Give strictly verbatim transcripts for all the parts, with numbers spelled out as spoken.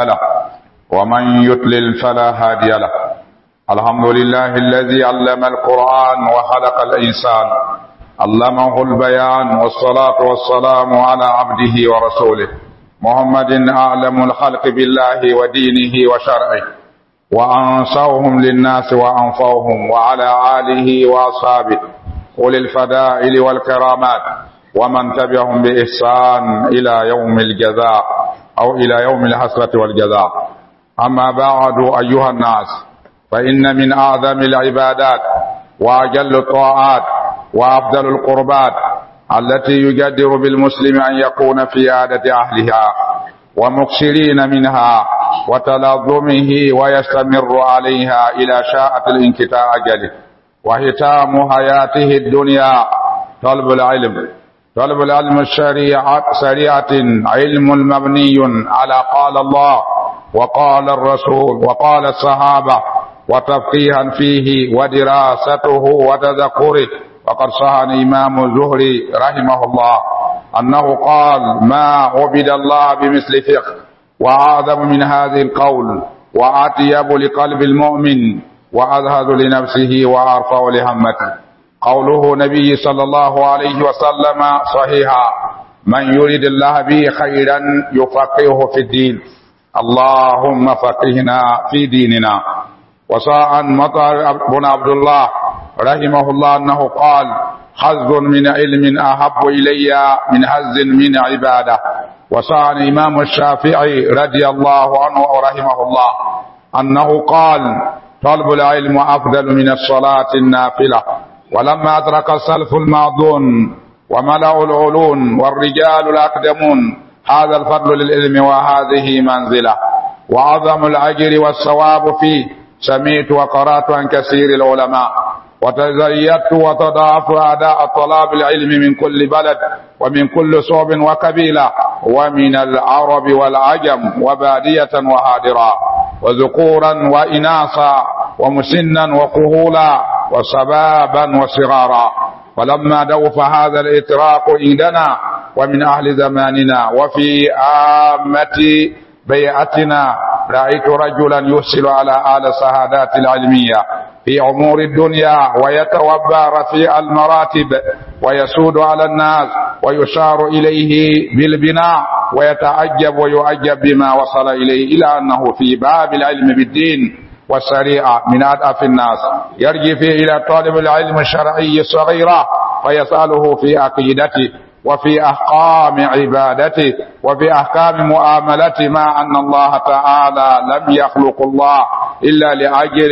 له ومن يضلل فلا هادي له. الحمد لله الذي علم القرآن وخلق الإنسان علمه البيان، والصلاة والسلام على عبده ورسوله محمد أعلم الخلق بالله ودينه وشرعه وأنصرهم للناس وأنفعهم، وعلى آله وأصحابه أولي الفضائل والكرامات ومن تبعهم بإحسان إلى يوم الجزاء أو إلى يوم الحسرة والجزاء. أما بعد، أيها الناس، فإن من أعظم العبادات وأجل الطاعات وأفضل القربات التي يجدر بالمسلم أن يكون في عادة أهلها ومكثرين منها وتلظمه ويستمر عليها إلى شاءة الانقطاع أجله وختام حياته الدنيا طلب العلم. طلب العلم الشريعة سريعة علم مبني على قال الله وقال الرسول وقال الصحابة، وتفقيها فيه ودراسته وتذكره. وقد صح عن إمام الزهري رحمه الله أنه قال: ما عبد الله بمثل فقه، وأعظم من هذه القول، وأطيب لقلب المؤمن، وأزهد لنفسه، وأرفع لهمته. قوله نبي صلى الله عليه وسلم صحيحا: من يريد الله به خيرا يفقهه في الدين. اللهم فقهنا في ديننا. وصاء مطر بن عبد الله رحمه الله أنه قال: حظ من علم أحب إلي من حظ من عبادة. وصاء الإمام الشافعي رضي الله عنه ورحمه الله أنه قال: طلب العلم أفضل من الصلاة النافلة. ولما أدرك السلف الماضون وملأوا العلون والرجال الأقدمون هذا الفضل للعلم وهذه منزلة وعظم الأجر والثواب فيه، سمعت وقرأت عن كثير العلماء وتزيدت وتضاعفت أداء طلاب العلم من كل بلد ومن كل صعب وقبيلة ومن العرب والعجم وبادية وهادرا وذكورا وإناثا ومسنا وكهولا وشبابا وصغارا. ولما دوف هذا الإطراق عندنا ومن أهل زماننا وفي عامة بيعتنا، رأيت رجلا يرسل على آل الشهادات العلمية في أمور الدنيا ويتوبى رفيع المراتب ويسود على الناس ويشار إليه بالبناء ويتعجب ويعجب بما وصل إليه، إلى أنه في باب العلم بالدين والشريعة من أضعف الناس، يرجع فيه إلى طالب العلم الشرعي الصغيرة فيسأله في عقيدته وفي أحكام عبادته وفي أحكام معاملته، مع أن الله تعالى لم يخلق الله إلا لأجل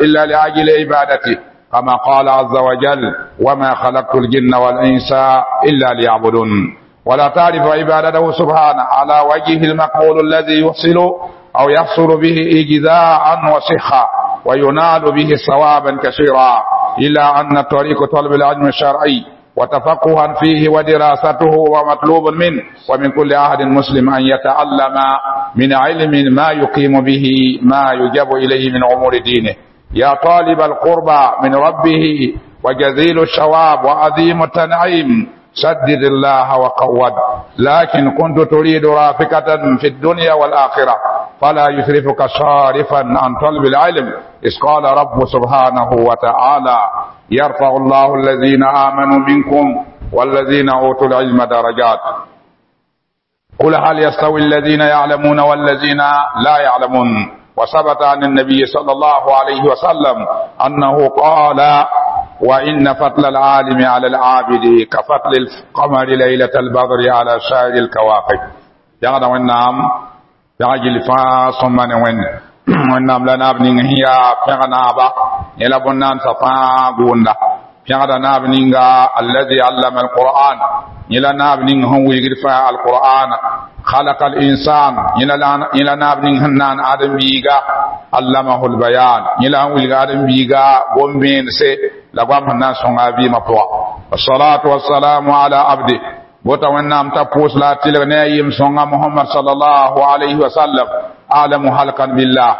إلا لأجل عبادته، كما قال عز وجل: وما خلقت الجن والإنس إلا ليعبدون. ولا تعرف عبادته سبحانه على وجهه المقبول الذي يحصل أو يحصل به إجزاء وصحة وينال به ثوابا كثيرا، إلا أن طريق طلب العلم الشرعي وتفقها فيه ودراسته ومطلوب منه ومن كل أحد مسلم أن يتعلم من علم ما يقيم به ما يجب إليه من أمور دينه. يا طالب القربى من ربه وجزيل الشواب وعظيم التنعيم، سدد الله وقود، لكن كنت تريد رافقة في الدنيا والآخرة فلا يسرفك صارفا عن طلب العلم، إذ قال رب سبحانه وتعالى: يرفع الله الذين آمنوا منكم والذين أوتوا العلم درجات. قل هل يستوي الذين يعلمون والذين لا يعلمون؟ وثبت عن النبي صلى الله عليه وسلم أنه قال: وإن فضل العالم على العابد كفضل القمر ليلة البدر على سائر الكواكب. يغدا وإنام يغجل فا ثم وين wẽnnaam la naab ning sẽn yaa pẽg naaba yẽ la bõn-naandsã fãa gʋʋnda. Pẽgda naab ninga allazi allama alquran, yẽ la naab ning sẽn wilgd fãa alqur'ana. خلق الإنسان, yẽ la naab ning sẽn naan ãdem-biiga. Allamahu lbayan, yẽ la sẽn wilg ãdem-biiga gom-vẽense la goam sẽn na n sõnga a vɩɩmã pʋga. والصلاة والسلام على عبده, bota wẽnnaam t'a pʋʋs la a tɩlg ne a yem sõnga Mohamad sallallahu alayhi wa sallam, أعلم خلقا بالله,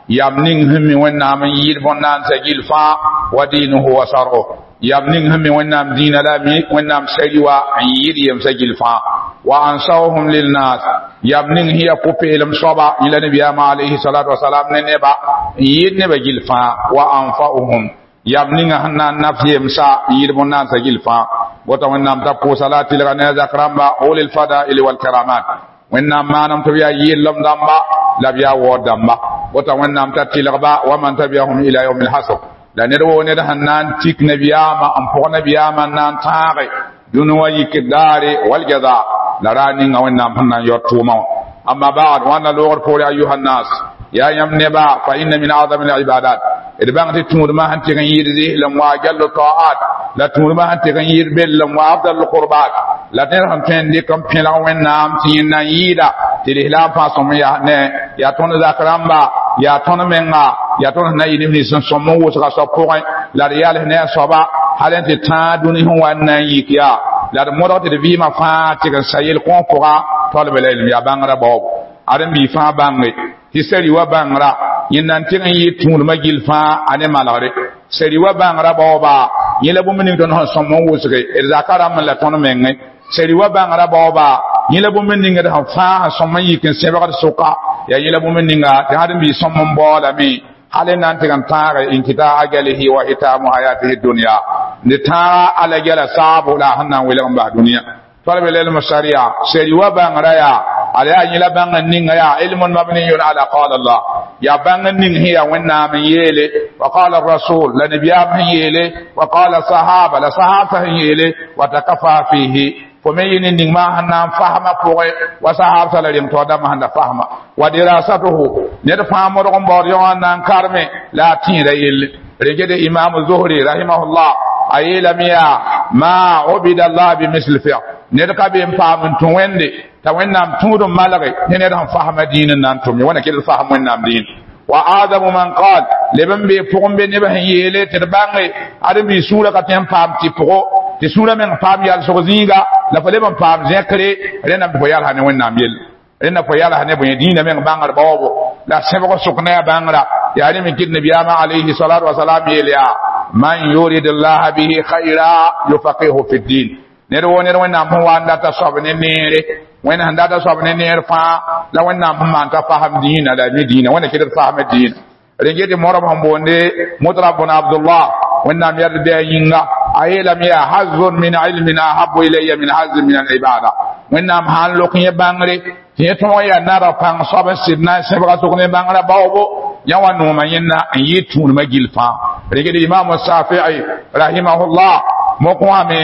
yam ning sẽn mi wẽnnaam n yɩɩd bõn-naandsã gill fãa, wa diinuhu wa sar'u, yam ning sẽn mi wẽnnaam dĩinã la mi wẽnnaam sari wa n yɩɩd yemsã gill fãa, wa ansawhum lilnas. yam ning hiya pʋ-peelem soaba yẽ la nabiyaamã alayhi salatu wasalam ne neba n yɩɩd nebã gill fãa wa anfa'uhum yam ninga sẽn na n naf yemsa n yɩɩd bõn-naansa gill fãa bota wẽnnaam t'a pʋʋsa la a tɩlga ne a zak rãmba ulil fadaili walkaramat wẽnnaam maanam tɩ b yaa yɩllem dãmba la b yaa waood dãmba bota wẽnnaam t'a tɩlgba wa man tabiahum ila yaumi lhasr la ned woo ned sẽn na n tik nabiyaamã n pʋg nabiyaamã n na n tãage dũni wã yikd daare waljaza la raa ninga wẽnnaam sẽn na n yaood tʋʋmã wã amma ba'd wãnda loogd poore ayuha nnas yaa yãmb neba fa inna min azami libadat d bãng tɩ tũudmã sẽn tɩg n yɩɩd zɩslem wa jallu ta'at la tũudmã sẽn tɩg n yɩɩd bellem wa afdal qurbat la ned sẽn tõe n dɩk n pẽlg wẽnnaam tɩ yẽnd na n yɩɩda tɩ lislaam fãa sõm yaa ne yaa tõnd zak rãmba yaa tõnd menga yaa tõnd sẽn na yɩ neb nins sẽn sõm n wʋsga soab pʋgẽ la d yals ne a soaba hal n tɩ tãag dũni sẽn wa n na n yik yaa la d modg tɩ d vɩɩmã fãa tɩg n sa yel-kõog pʋga talib ilm yaa bãngrã baoobo ad n bii fãa bãnge tɩ sari wa bãngrã yẽnd na n tɩg n yɩ tũudmã gill fãa a ne malgre sari wa bãngrã baooba yẽ la bũmb ning tõnd sẽn sõm n wʋsge d zaka rãmb la tõnd menge sari wa bãngrã baooba yẽ la bũmb ning d sẽn fãa sẽn sõm n yik n sẽbgd sʋka yaa yẽ la bũmb ninga tɩ sãd n bii sõm n baoolame hal n na n tɩg n tãage inkita ajalihi wa hitamu hayatihi dunya ne tãaga ala gɛla saabo la a sẽn na n welg n bas dũniyã talib ilm sharia sari wa bãngrã yaa ala yaa yẽ la bãng n ninga yaa ilmun mabniyun ala qala Allah yaa bãng n ning sẽn yaa wẽnnaam n yeele wa qala rasul la nabiyaam sẽn yeele wa qala sahaba la sahaba sẽn yeele wa takafa fihi fo me yɩ ne ning maa sẽn na n fasmã pʋgẽ wa sahabsã la rem taoor dãmbã sẽn da fasma wa dirasatuhu ned fãa modg n baood yõ n na n karme la a tẽeda yelle regede imam zuhri rahimahullah a yeelame yaa ma ubida allah bimisl fiq ned ka be n paam n tũ wẽnde t'a wẽnnaam tũud n malge ne ned sẽn fasma dĩin n na n tʋm ye wãna kell fasm wẽnnaam dĩin wa adamu man qal leb n bee pʋgẽ be neb sẽn yeele tɩ d bãnge ad n bii sũurã ka tõe n paam tɩ pʋgɔ tɩ sũurã meng paam yalsg zĩiga la fo leb n paam zẽkre rẽndame tɩ fo yalsa ne wẽnnaam yell rẽnda fo yalsa ne bõe dĩinã meng bãngr baoobo la sẽbg sʋk ne a bãngrã yaa rẽ me kɩt nabiyaamã alayhi salatu wasalam yeel yaa man yurid llaha bihi khayra yufaqihu fi ddin ned woo ned wẽnnaam sẽn wa n data soab ne neere wẽnd sẽn data soab ne neer fãa la wẽnnaam sẽn maan t'a fasem dĩinã la mi dĩinã wẽnna kɩt d fasmã dĩinã rẽn tɩ morb sẽn boonde mutrab bn abdullah wẽnnaam yɛd bɩ a yĩnga a yeelame yaa hazun min ilmin ahabu ilayya min hazin min alibada wẽnnaam sã n lok yẽ bãngre tɩ yẽ tõog yaa nara pãng soab n sɩd na n sẽbga sʋk ne bãngrã baoobo yã wa noomã yẽnna n yɩ tũudmã gill fãa rẽgd imam shafii rahimahullah mok wã me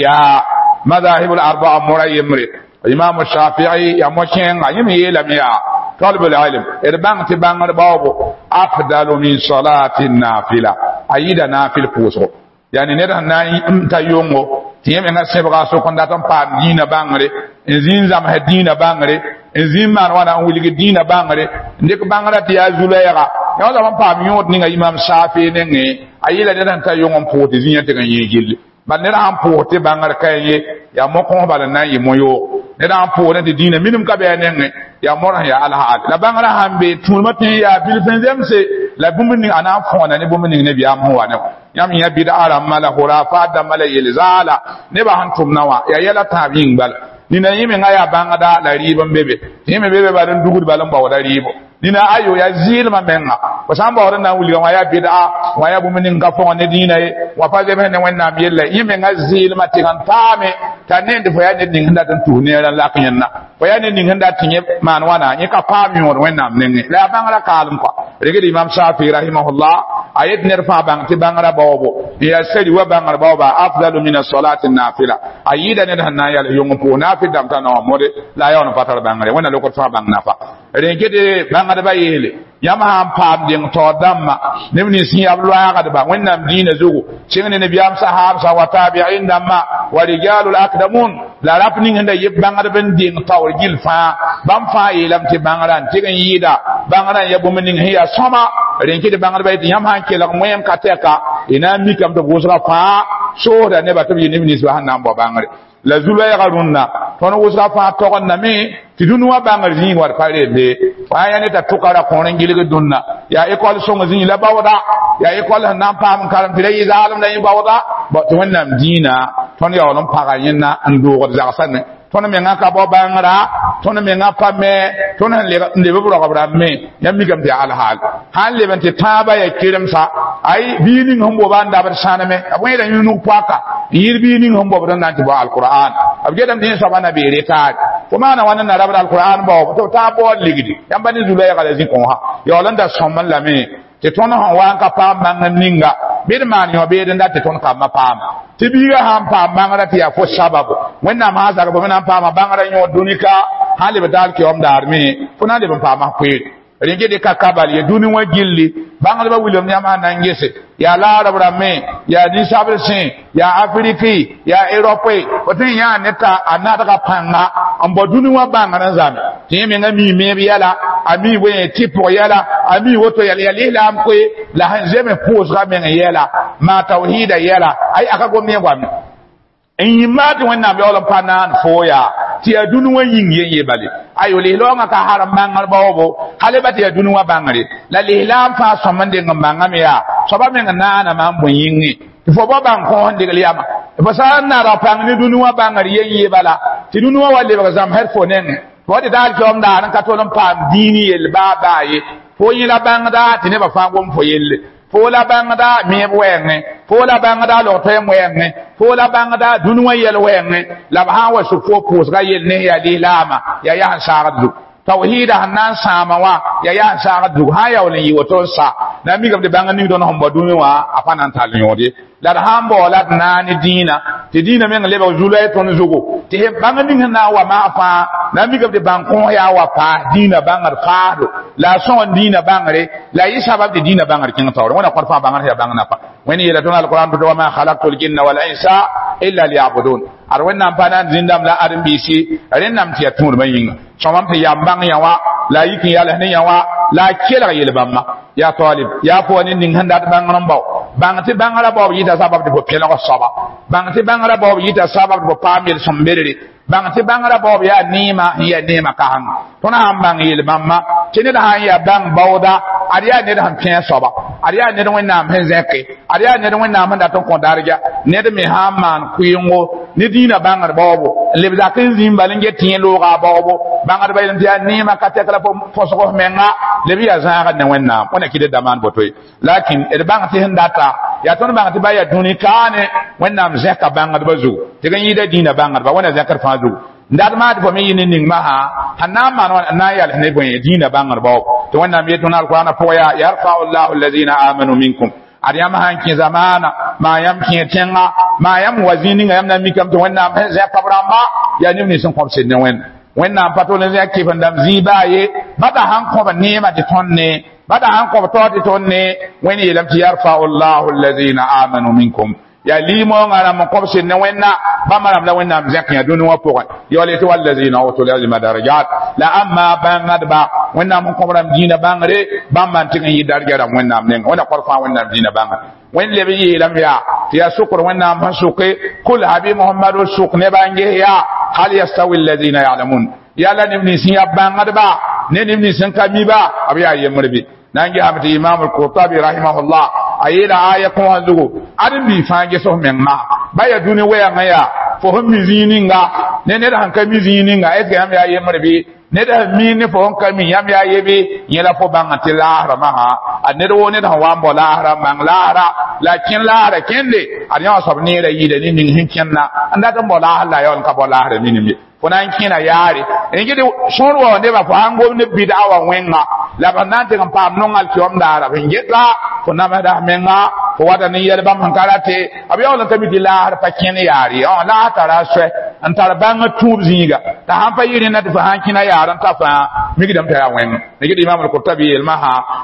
yaa madahib arbaa mora yembre imam shafii yaa mo-kẽenga yẽ me yeelame yaa talib ilm d bãng tɩ bãngr baoobo afdalu min salati nafila a yɩɩda nafil pʋʋsgo yani ned sẽn na n ta yongo tɩ yẽ menga sẽbga sʋk n dat n paam dĩinã bãngre n zĩ n zãmsd dĩinã bãngre n zĩ n maan wãna n wilg dĩinã bãngre n dɩk bãngrã tɩ yaa zu-lɛɛga yã wã n paam yõod ninga imam shafi nengẽ a yeela ned sẽn ta yong n pʋʋs tɩ zĩyã tɩg n yẽ gilli bal ned sãn pʋʋs tɩ bãngr ka ye yaa mo-kõs bal n na n yɩ mo-yoog ned sãn pʋʋsdẽ tɩ dĩinã minim ka bɩ a nengẽ yaa mor sẽn yaa alhaal la bãngrã sãn be tũudmã tõe n yaa bilf n zemse la bũmb ning a na n fõona ne bũmb ning nebiyaam sẽn wa ne yãmb yã bid'a rãmbã la hurafat dãmbã la yel-zaala nebã sẽn tʋmna wã yaa yɛla tãab yĩng bala nina yẽ menga yaa bãngda la rɩɩb n be be tɩ yẽ me be be bal n dugd bal n baooda rɩɩbo nina ayo yaa zɩɩlmã menga fo sã n baood n na n wilga wã yaa bid'a wã yaa bũmb ning ka fõg ne dĩinã ye wã pa zems ne wẽnnaam yella yẽ menga zɩɩlmã tɩg n taame t'a nend fo yaa ned ning sẽn dat n tus neerã n lak yẽnna fo yaa ned ning sẽn dat tɩ yẽ maan wãna yẽ ka paam yõod wẽnnaam nengẽ la yaa bãngrã kaalem kɔa regd imam shafi rahimahullah a yet ned fãa bãng tɩ bãngrã baoobo n yaa sari wa bãngr baooba afdalu min asolati nafila a yɩɩda ned sẽn na n yals yong n pʋʋs nafil dãmb t'a naoã mode la a yaool n pa tar bãngre wẽnna lokd fãa bãng nafa rẽn ket bãngdbã yeele yãmb sã n paam deng taoor dãmbã neb nins sẽn yaa b loaagdba wẽnnaam dĩinã zugu sẽng ne nabiyaam sahaabsã wa tabiin dãmbã wa rijalul akdamun la rap ning sẽn da yeb bãngdb n deng taoor gill fãa bãmb fãa yeelame tɩ bãngrã n tɩg n yɩɩda bãngrã n ya bũmb ning sẽn yaa sõma rẽn kɩ tɩ bãngdbã yetɩ yãmb sã n kelg wẽem ka tɛka y na n mikame tɩ b wʋsga fãa soosda nebã tɩ b yɩ neb ninsbã sẽn na n bao bãngre la zu-loɛɛga rũnnã tõnd wʋsga fãa togendame tɩ dũni wã bãngr zĩig wa d pa rembe fãa yaa ne t'a tʋka ra kõor n gilg dũnna yaa ekɔl sõng zĩig la baooda yaa ekɔl sẽn na n paam n karem tɩ ra yɩ zaalem la yẽ baooda tɩ wẽnnaam dĩinã tõnd yaool n paga yẽnna n doogd zagsã ne tõnd menga ka bao bãngrã tõnd menga pa me tõnd sẽn leb b rogb rãmb me yãmb mikame tɩ yaa alhaal sã n leb n tɩ tãabã yaa keremsa ay biig ning sẽn boba n dabd sãneme b wẽeda yũnug poaka n yɩl biig ning sẽn bobd n na n tɩ bao alqur'an b getame tɩ yẽ soaba na bee retaar fo maana wãna n na rabd alqur'an baoob tɩ b taab baood ligdi yãmb ne zu-lɛɛga la zĩ-kõosã yaool n da sõm n lame tɩ tõnd sẽn wa n ka paam bãng ninga bɩ d maan yõ beed n dat tɩ tõnd kambã paama tɩ biigã sãn paam bãngrã tɩ yaa fo sababo wẽnnaam sã n zag fo me na n paama bãngrã yõ dũni-ka sãn leb daal keoom daar me fo na n leb n paama koeere rẽn get ka kabal ye dũni wã gilli bãngdbã wilem yãmb sãn na n gese yaa laarb rãmbẽ yaa ninsabd sẽ yaa afiriki yaa erope fo tõe n yãa ne t'a a nadga pãnga n bao dũni wã bãngr n zame tɩ yẽ menga mii meeb yɛla a mii wẽ tɩ pʋg yɛla a mii woto yɛla yaa lislaam koe la sẽn zeme pʋʋsga meng yɛla maa tawhiida yɛla ay aka gom ne goame n yĩmma tɩ wẽnnaam yaool n pa naan foo yaa tɩ yaa dũni wã yĩng yen ye bale ayo lislaoongã ka harem bãngr baoobo hal ba tɩ yaa dũni wã bãngre la lislaam fãa sõm n deng n bãngame yaa soaba meng naaname n bõ yĩngẽ tɩ fo bao bãng kõos n degl yama fo sã n nadg pãng ne dũni wã bãngr yen ye bala tɩ dũni wã wa lebg zãmsd fo nengẽ fo tɩ daal keoom daar n ka tol n paam dĩin yell baa baa ye fo yẽ la bãngda tɩ nebã fãa gom fo yelle fo la bãngda meeb wɛɛngẽ fo la bãngda log-toɛɛm wɛɛngẽ fo la bãngda dũni wã yɛl wɛɛngẽ la b sã n wa sʋk fo pʋʋsga yell ne yaa lislaama yaa yaa sẽn saagd zug tawhiida sẽn na n sãama wã yaa yaa sẽn saagd zug sã n yaool n yɩ woto n sa na n mikame tɩ bãng ning tõnd sẽn bao dũni wã a pa na n tall yõod ye la d sã n baoola d naa ne dĩinã tɩ dĩinã meng lebg zu-loɛɛ tõnd zugu tɩ bãng ning sẽn na n wa maa fãa na n mikame tɩ bãng kõos yaa wa paas dĩinã bãngr faasdo la a sõng n dĩinã bãngre la a yɩ sabab tɩ dĩinã bãngr kẽng taoore wẽna kõt fãa bãngr yaa bãng napa wẽnd yeela tõnd alqur'an tɩ wama khalaqtu ljinna wal insa illa liyabudun ad wẽnnaam pa na n zĩndame la ãdem-biisi rẽnname tɩ yaa tũudmã yĩnga sõmam tɩ yam bãng yã wã la a yik n yals ne yã wã la a kelg yel-bãmba yaa talib yaa pʋga ne ning sẽn dat bãngr n bao bãng tɩ bãngrã baoob yɩta sabab tɩ fo pẽlg soaba bãng tɩ bãngrã baoob yɩta sabab tɩ fo paam yel-sõm berere bãng tɩ bãngrã baoob yaa neema n yaa neema kasengã tõnd sãn bãng yel-bãmba tɩ ned sãn yaa bãng baooda ad yaa ned sẽn pẽ soaba ad yaa ned wẽnnaam sẽn zẽke ad yaa ned wẽnnaam sẽn dat n kõ darja ned me sã n maan kʋɩɩngo ne dĩinã bãngr baoobo n leb zak n zĩim bal n get tɩ yẽ looga a baoobo bãngdbã yeelame tɩ yaa neema ka tɛk la põsg f menga leb yaa zãagd ne wẽnnaam wẽna kɩd da maan boto ye lakin d bãng tɩ sẽn data yaa tõnd bãng tɩ ba yaa dũni kaane wẽnnaam zẽka bãngdbã zugu tɩ g yɩɩda dĩinã bãngdba wẽna zẽkd fãa zugu n dat maa tɩ fo me yɩ ne ning masã sẽn na n maan wã n na n yals ne bõe dĩinã bãngr baoob tɩ wẽnnaam yet tõnd alqur'ana pʋgã yaa yarfau llahu allazina amanu minkum ad yãmb sãn kẽ zamaana maa yãmb kẽ tẽnga maa yãmb wa zĩig ninga yãmb na n mikame tɩ wẽnnaam sẽn zẽka b rãmba yaa neb nins sẽn kõb sed ne wẽnd wẽnnaam pa tol n zẽk kɩf n dãmb zĩig baa ye bada sãn kõb neema tɩ tõnd ne bada sãn kõb tao tɩ tõnd ne wẽnd yeelame tɩ yarfau llahu allazina amanu minkum yaa liimoongã rãmb n kõb sed ne wẽnna bãmba rãmb la wẽnnaam zẽk yã dũni wã pʋgẽ yaool tɩ wallazina utul ilma darajat la ãmba bãngdba wẽnnaam n kõb rãmb dĩinã bãngre bãmba n tɩg n yɩ darja rãmb wẽnnaam nengã wẽnna kõr fãa wẽnnaam dĩinã bãngre wẽnd leb n yeelame yaa tɩ yaa sʋkr wẽnnaam sẽn sʋke kul habi mohamadu sʋk nebã n ges yaa hal yastawi allazina yalamun yaa la neb nins n yaa bãngdba ne neb nins n ka mi ba b yaa yembr bɩ na n gesame tɩ imam alqurtabi rahimahullah a yeela aya kõosã zugu ãdem-biig fãa ges f meng maa ba yaa dũni wɛɛngã yaa fo sẽn mi zĩig ninga ne ned sẽn ka mi zĩig ninga est ce que yãmb yaa yembr bɩ ned sẽn mi ne fo sẽn ka mi yãmb yaa ye bɩ yẽ la fo bãng tɩ laasra masã a ned woo ned sẽn wa n bao laasra n bãng laasra la a kẽn laasra kẽnde ad yã wã soab neerã yɩɩda ne ning sẽn kẽnna n dat n bao laasr la a yaool n ka bao laasra minim ye fo na n kẽna yaare n gɩd sõor wa nebã fo sãn gom ne bɩd'a wã wẽnga la b na n tɩg n paam nongal keoom daara b sẽn geta fo namsda f menga fo wata ne yɛl bãmb sẽn ka rate b yaool n ka mi tɩ laasr pa kẽn yaar ye laas tara a soɛ n tar bãng tũub zĩiga t'a sãn pa yɩ rẽnda tɩ fo sãn kẽna yaar n ta fãa mikdame t'a yaa wẽng ne gɩd imam al-qurtabi yelmã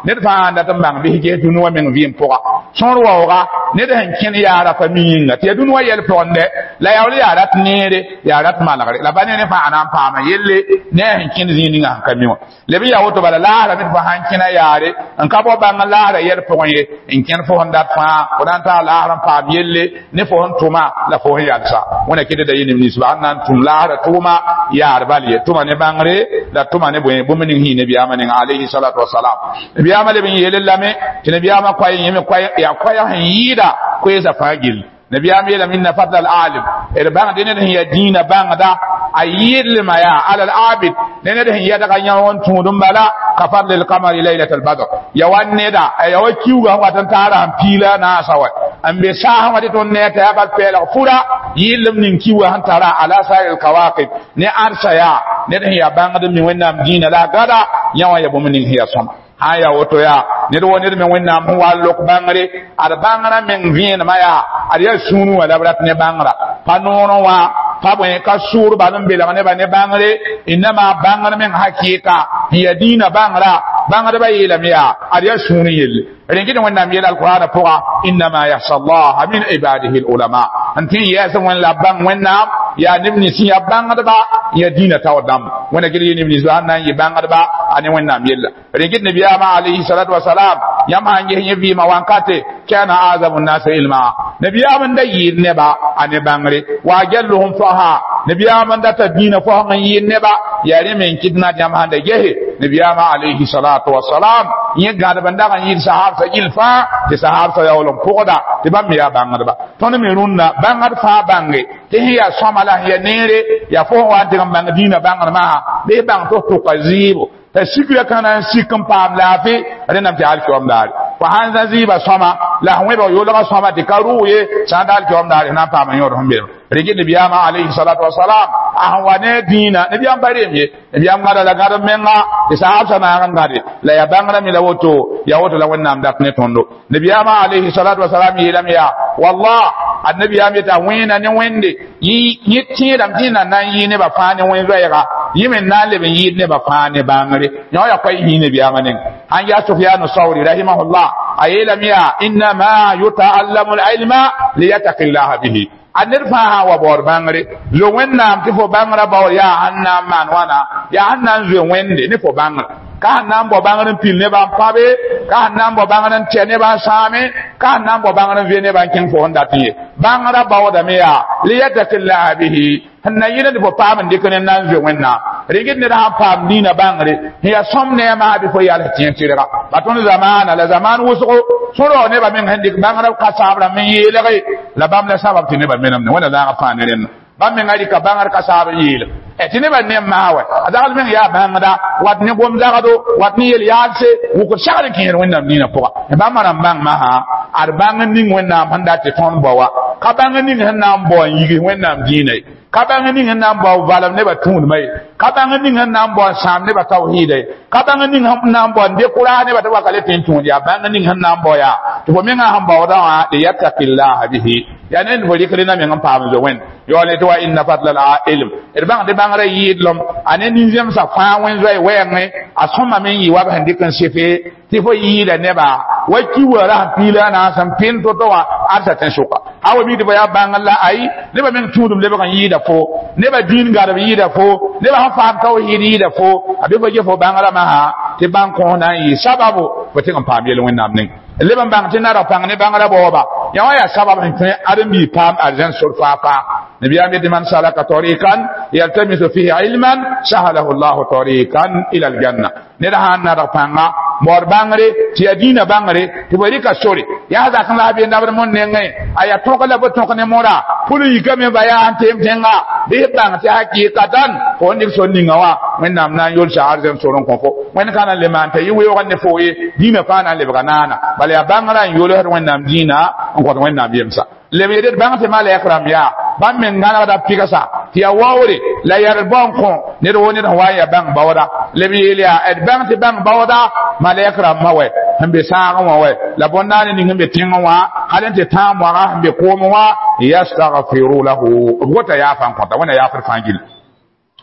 ned fãa sãn dat n bãng bɩs ges dũni wã meng vɩɩm pʋga sõor waooga ned sẽn kẽn yaara pa mi yĩnga tɩ yaa dũni wã yɛl pʋgẽ la yaool yaa rat neere yaa rat malgre la ba ne ne fãa na n paama yelle ne a sẽn kẽnd zĩig ninga sẽn ka mi wã leb n yaa woto bala laasra me tɩ fo sãn kẽna yaare n ka bao bãng laasra yɛl pʋgẽ ye n kẽnd fo sẽn dat fãa fo na n taa laasr n paam yelle ne fo sẽn tʋma la fo sẽn yalsa wẽna kɩd da yɩ neb ninsba sẽn na n tũm laasra tʋʋma yaar bal ye tʋma ne bãngre la tʋma ne bõe bũmb ning sẽn yɩ nabiyaamã neng alayhi salatu wasalam nabiyaamã leb n yeele lame tɩ nabiyaamã koa yẽ me yaa koɛɛg sẽn yɩɩda koeesã fãa gill Nabiyam yeelame inna fadla al-alim d bãng dẽ ned sẽn ya dĩinã bãngda a yɩɩdlma yaa ala al-abid ne ned sẽn yɛdga yã n tũud n bala ka fadli al-qamari laylat al-badr ya wa neda ya wa kiuga sẽn wat n taara sẽn piila a naasa wa n be saasẽ wã tɩ tõnd ne t'a yaa bal pɛɛlg fura yɩɩlem ning kiuga sẽn tara ala sair al-kawakib ne ãdsa yaa ned sẽn yaa bãngd n mi Wẽnnaam dĩinã la a gada yã wã ya bũmb ning sẽn yaa sõma sã n yaa woto yaa ned wo ned me Wẽnnaam sẽn wa n lok bãngre ad bãngrã meng vẽenemã yaa ad yaa sũurẽ wã la b rat ne bãngra pa noorẽ wã pa bõe ka sʋʋr bal n belg nebã ne bãngre innama bãngr meng hakɩɩka sẽn yaa dĩinã bãngra bãngdbã yeelame yaa ad yaa sũurẽ yelle rẽn Wẽnnaam yeel alqur'ana pʋga innama yahsa allaha min ibadihi alulama n tɩ n yɛɛs wẽn la b bãng Wẽnnaam yaa neb nins sẽn yaa bãngdba n yaa dĩinã taoor dãmb Wẽnna gel yee neb nins sãn na n yɩ bãngdba a ne Wẽnnaam yella rẽn kɩt nabiyaamã alayhi salatu wasalam yãmb sã n ges yẽ vɩɩmã wankate kana azamu nnasa ilma nabiyaam n da yɩɩd neba a ne bãngre wa ajalluhum faha nabiyaam n data dĩinã fosg n yɩɩd neba yaa rẽ me n kɩt na yãmb sãn da gese nabiyaamã alayhi salatu wasalam yẽ gãdb n dag n yɩɩd sahabsã gill fãa tɩ sahabsã yaool n pʋgda tɩ bãmb me yaa bãngdba tõnd me rũnnã bãngd fãa bãnge tɩ sẽn yaa sõma la sẽn yaa neere yaa fo sẽn wa n tɩg n bãng dĩinã bãngr masã bɩ bãng tɩ f tʋka zɩɩbo t'a sikra kãna n sik n paam laafɩ rẽndame tɩ alkiom daare fo sãn zã zɩɩbã sõma la sẽn wẽbg yolgã sõma tɩ ka rʋʋ ye sã n da alkiom daare sẽn na n paam n yõod sẽn belem rɩkɩ nabiyaamã alayhi salatu wasalam a sẽn wa ne dĩinã nabiyaam pa reem ye nabiyaam gãda la gãd menga tɩ sahabsã naag n gãde la yaa bãngrã me la woto yaa woto la Wẽnnaam dat ne tõndo nabiyaamã alayhi salatu wasalam yeelame yaa wallah annabiyaam yeta wẽena ne Wẽnde yẽ tẽedame tɩ na na n yɩ nebã fãa ne wẽn-zoɛɛga yẽ me na n leb n yɩɩd nebã fãa ne bãngre yã yaa koɛy yĩi nabiyaamã neng sãn yaa Sufyanu Sauri rahimahullah a yeelame yaa innama yutaallamu alilma liyataki llaha bihi a ned fãa sã n wa baood bãngre zo Wẽnnaam tɩ fo bãngrã baood yaa sẽn na n maan wãna yaa sẽn na n zoe Wẽnde ne fo bãngrã ka sẽn na n bao bãngr n pil nebã n pãbe ka sẽn na n bao bãngr n tɛ nebã n sãame ka sẽn na n bao bãngr n ve nebã n kẽng fo sẽn dat n ye bãngrã baoodame yaa liyataki llaha bihi sẽn na yɩl tɩ fo paam n dɩk ne n na n zoe Wẽnnaam rɩgd ned sãn paam dĩinã bãngre sẽn yaa sõm neemã bɩ fo yals tẽ tɩrga ba tõnd zamaana la zamaan wʋsgo sõrg nebã meng sẽn dɩk bãngrã ka saab rãmb n yeelge la bãmb la sabab tɩ nebã menemde Wẽnna zãagã fãa ne rẽnda bãmb menga rɩka bãngr ka saab n yeelem tɩ nebã nem maa wɛ a zagl meng yaa bãngda wat ne gom zagdo wat ne yel yaalse wʋkd sagr n kẽer Wẽnnaam dĩinã pʋga bãmb rãmb bãng masã ad bãng n ning Wẽnnaam sẽn dat tɩ tõnd bao wa ka bãng n ning sẽn na n bao n yigs Wẽnnaam dĩinã ye ka bãng ning sẽn na n bao valem nebã tũudmã ye ka bãng ning sẽn na n bao n sãam nebã tawhiida ye ka bãng ning sẽn na n bao n dekʋraas nebã tɩ waka le tɩ n tũud yaa bãng ning sẽn na n bao yaa tɩ fo mengã sẽn baoodã wã liyattaqillaha bihi yaa ned fo rɩkd na meng n paam zo Wẽnd yaool tɩ wa inna fadla al ilm d bãng tɩ bãngrã yɩɩdlem a ne nin-zẽmsã fãa wẽn-zoɛɛ wɛɛngẽ a sõma me n yɩ wa b sẽn dɩk n sefe tɩ fo yɩɩda nebã wa kiwã ra sẽn piila a naas n pẽnd to-to wã adsa tẽn-sʋka a wa mi tɩ fo yaa bãngr la ayi nebã meng tũudum lebg n yɩɩda fo nebã dĩin gadb yɩɩda fo nebã sẽn faam tawhiid yɩɩda fo a bɩ fo ge fo bãngrã masã tɩ bãng kõs na n yɩ sababu fo tɩg n paam yel Wẽnnaam ning leb n bãng tɩ nara pãng ne bãngrã baooba yã wã yaa sabab sẽn tõe ãdem-biig paam arzãn sor faa faa nabiyaam yetɩ man salaka tariqan yaltamisu fihi ilman sahalahu llahu tariqan ila aljanna ned sã n nadg pãnga baood bãngre tɩ yaa dĩinã bãngre tɩ fo rɩka sore yaa zak n la a be nabd mon nengẽ a yaa tõk la fo tõk ne moda pʋl n yikame ba yaa n teem tẽnga bɩ b bãng tɩ hakɩɩkatan fo n dɩk sor ninga wã Wẽnnaam na n yolsa arzẽn sor n kõ fo Wẽnd ka na n le maan t'a yɩ weoog ne fo ye dĩinã fãa na n lebga naana bala yaa bãngrã n yolsd Wẽnnaam dĩinã n kõt Wẽnnaam yemsa leb yet d bãng tɩ malɛk rãmb yaa bãmb meng gãnegda pɩgsa tɩ yaa waoore la yɛrd bao n kõ ned wo ned sẽn wa n yaa bãng baooda leb yeel yaa d bãng tɩ bãng baooda malɛk rãmbã wɛ sẽn be sãagẽ wã wɛ la bõn-naane ning sẽn be tẽngẽ wã hal n tɩ tãag moagã sẽn be koomẽ wã yastagfiru lahu b gota yaafa n kõta Wẽnna yaafd fãa gill